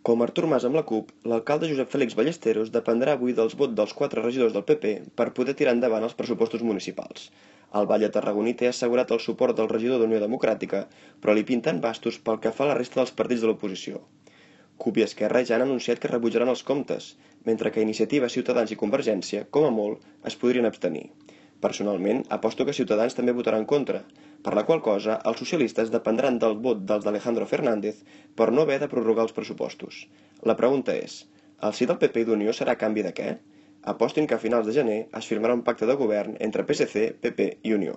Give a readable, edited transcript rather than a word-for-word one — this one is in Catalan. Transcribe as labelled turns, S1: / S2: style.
S1: Com Artur Mas amb la CUP, l'alcalde Josep Fèlix Ballesteros dependrà avui dels vots dels 4 regidors del PP per poder tirar endavant els pressupostos municipals. El batlle tarragoní té assegurat el suport del regidor d'Unió Democràtica, però li pinten bastos pel que fa a la resta dels partits de l'oposició. CUP i Esquerra ja han anunciat que rebutjaran els comptes, mentre que Iniciativa, Ciutadans i Convergència, com a molt, es podrien abstenir. Personalment, aposto que Ciutadans també votarà en contra, per la qual cosa els socialistes dependran del vot dels d'Alejandro Fernández per no haver de prorrogar els pressupostos. La pregunta és, el sí del PP i d'Unió serà a canvi de què? Apostin que a finals de gener es firmarà un pacte de govern entre PSC, PP i Unió.